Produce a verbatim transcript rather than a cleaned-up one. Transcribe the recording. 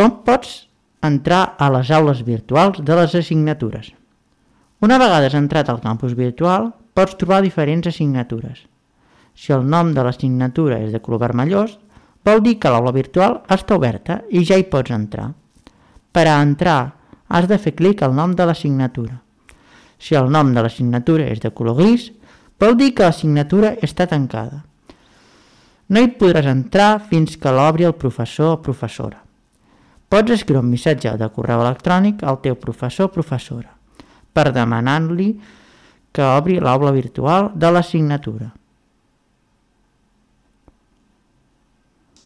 Com pots entrar a les aules virtuals de les assignatures? Una vegada has entrat al campus virtual, pots trobar diferents assignatures. Si el nom de l'assignatura és de color vermellós, vol dir que l'aula virtual està oberta i ja hi pots entrar. Per a entrar, has de fer clic al nom de l'assignatura. Si el nom de l'assignatura és de color gris, vol dir que l'assignatura està tancada. No hi podràs entrar fins que l'obri el professor o professora. Pots escriure un missatge de correu electrònic al teu professor o professora per demanar-li que obri l'aula virtual de l'assignatura.